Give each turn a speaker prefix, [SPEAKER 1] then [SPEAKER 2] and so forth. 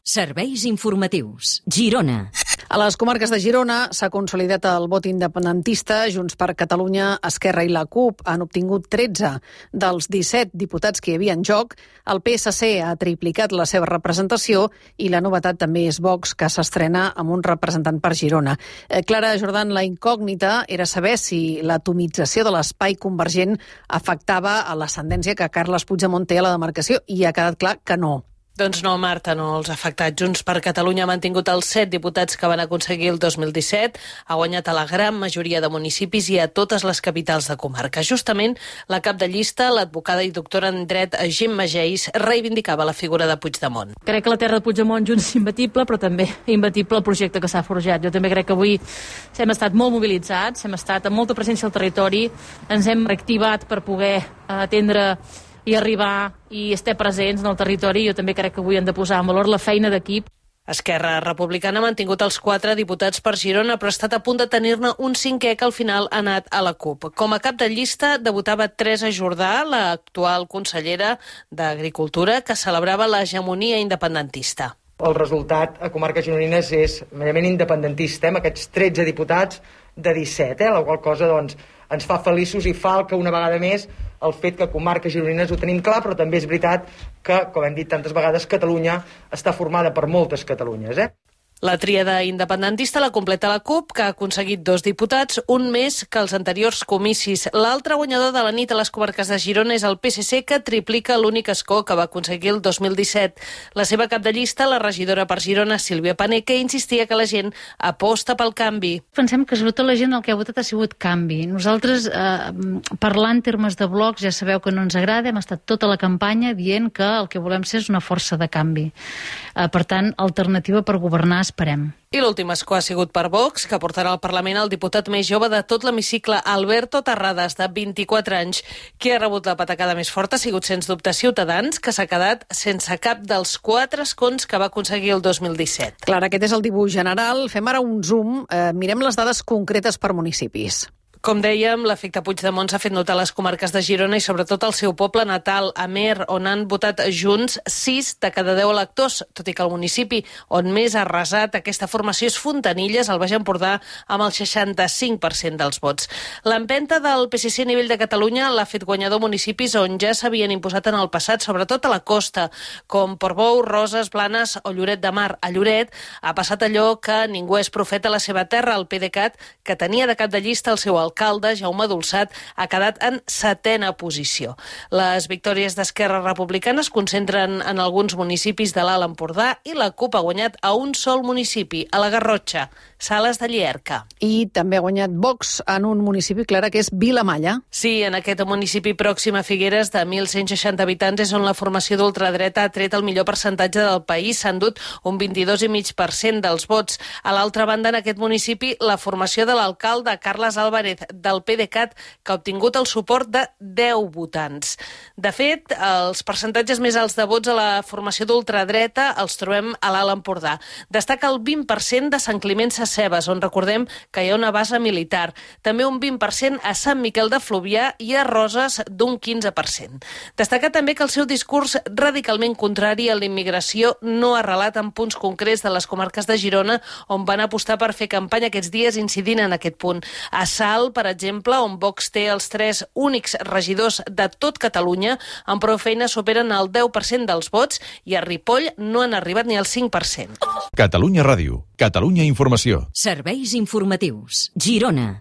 [SPEAKER 1] Serveis informatius. Girona.
[SPEAKER 2] A les comarques de Girona s'ha consolidat el vot independentista. Junts per Catalunya, Esquerra i la CUP han obtingut 13 dels 17 diputats que hi havia en joc. El PSC ha triplicat la seva representació i la novetat també és Vox, que s'estrena amb un representant per Girona. Clara Jordan, la incògnita era saber si l'atomització de l'espai convergent afectava a l'ascendència que Carles Puigdemont té a la demarcació, i ha quedat clar que no.
[SPEAKER 3] Doncs no, Marta, no els ha afectat. Junts per Catalunya ha mantingut els 7 diputats que van aconseguir el 2017, ha guanyat a la gran majoria de municipis i a totes les capitals de comarca. Justament, la cap de llista, l'advocada i doctora en dret Gemma Geis, reivindicava la figura de Puigdemont.
[SPEAKER 4] Crec que la terra de Puigdemont Junts és imbatible, però també imbatible el projecte que s'ha forjat. Jo també crec que avui hem estat molt mobilitzats, hem estat amb molta presència al territori, ens hem reactivat per poder atendre i arribar i estar presents en el territori. Jo també crec que avui hem de posar en valor la feina d'equip.
[SPEAKER 3] Esquerra Republicana ha mantingut els 4 diputats per Girona, però ha estat a punt de tenir-ne un 5è que al final ha anat a la CUP. Com a cap de llista debutava Teresa Jordà, l'actual consellera d'Agricultura, que celebrava l'hegemonia independentista.
[SPEAKER 5] El resultat a comarques gironines és merament independentista, amb aquests 13 diputats de 17, la qual cosa doncs, ens fa feliços i falca una vegada més el fet que a comarques gironines ho tenim clar, però també és veritat que, com hem dit tantes vegades, Catalunya està formada per moltes Catalunyes,
[SPEAKER 3] La tríada independentista la completa la CUP, que ha aconseguit 2 diputats, un més que els anteriors comicis. L'altre guanyador de la nit a les comarques de Girona és el PSC, que triplica l'únic escó que va aconseguir el 2017. La seva cap de llista, la regidora per Girona, Sílvia Paneque, insistia que la gent aposta pel canvi.
[SPEAKER 6] Pensem que sobretot la gent el que ha votat ha sigut canvi. Nosaltres, parlant en termes de blocs, ja sabeu que no ens agrada, hem estat tota la campanya dient que el que volem ser és una força de canvi. Per tant, alternativa per governar esperem.
[SPEAKER 3] I l'últim escó ha sigut per Vox, que portarà al Parlament el diputat més jove de tot l'hemicicle, Alberto Terrades, de 24 anys. Qui ha rebut la patacada més forta ha sigut, sens dubte, Ciutadans, que s'ha quedat sense cap dels 4 escons que va aconseguir el 2017.
[SPEAKER 2] Clar, aquest és el dibuix general. Fem ara un zoom. Mirem les dades concretes per municipis.
[SPEAKER 3] Com dèiem, l'efecte Puigdemont s'ha fet notar a les comarques de Girona i sobretot al seu poble natal, Amer, on han votat Junts 6 de cada 10 electors, tot i que el municipi on més ha arrasat aquesta formació és Fontanilles, al Baix Empordà, amb el 65% dels vots. L'empenta del PSC a nivell de Catalunya l'ha fet guanyador municipis on ja s'havien imposat en el passat, sobretot a la costa, com Portbou, Roses, Blanes o Lloret de Mar. A Lloret ha passat allò que ningú és profeta a la seva terra, el PDeCAT, que tenia de cap de llista el seu alcalde, Jaume Dolçat, ha quedat en 7a posició. Les victòries d'Esquerra Republicana es concentren en alguns municipis de l'Alt Empordà i la CUP ha guanyat a un sol municipi, a la Garrotxa, Sales de Llierca.
[SPEAKER 2] I també ha guanyat Vox en un municipi, Clara, que és Vilamalla.
[SPEAKER 3] Sí, en aquest municipi pròxim a Figueres, de 1.160 habitants, és on la formació d'ultradreta ha tret el millor percentatge del país. S'han dut un 22,5% dels vots. A l'altra banda, en aquest municipi, la formació de l'alcalde Carles Álvarez del PDeCAT, que ha obtingut el suport de 10 votants. De fet, els percentatges més alts de vots a la formació d'ultradreta els trobem a l'Alt Empordà. Destaca el 20% de Sant Climent Sescebes, on recordem que hi ha una base militar. També un 20% a Sant Miquel de Fluvià i a Roses d'un 15%. Destaca també que el seu discurs radicalment contrari a la immigració no ha arrelat en punts concrets de les comarques de Girona, on van apostar per fer campanya aquests dies incidint en aquest punt. A Salt, per exemple, on Vox té els 3 únics regidors de tot Catalunya, amb prou feina superen el 10% dels vots, i a Ripoll no han arribat ni al 5%.
[SPEAKER 7] Catalunya Ràdio, Catalunya Informació.
[SPEAKER 1] Serveis informatius. Girona.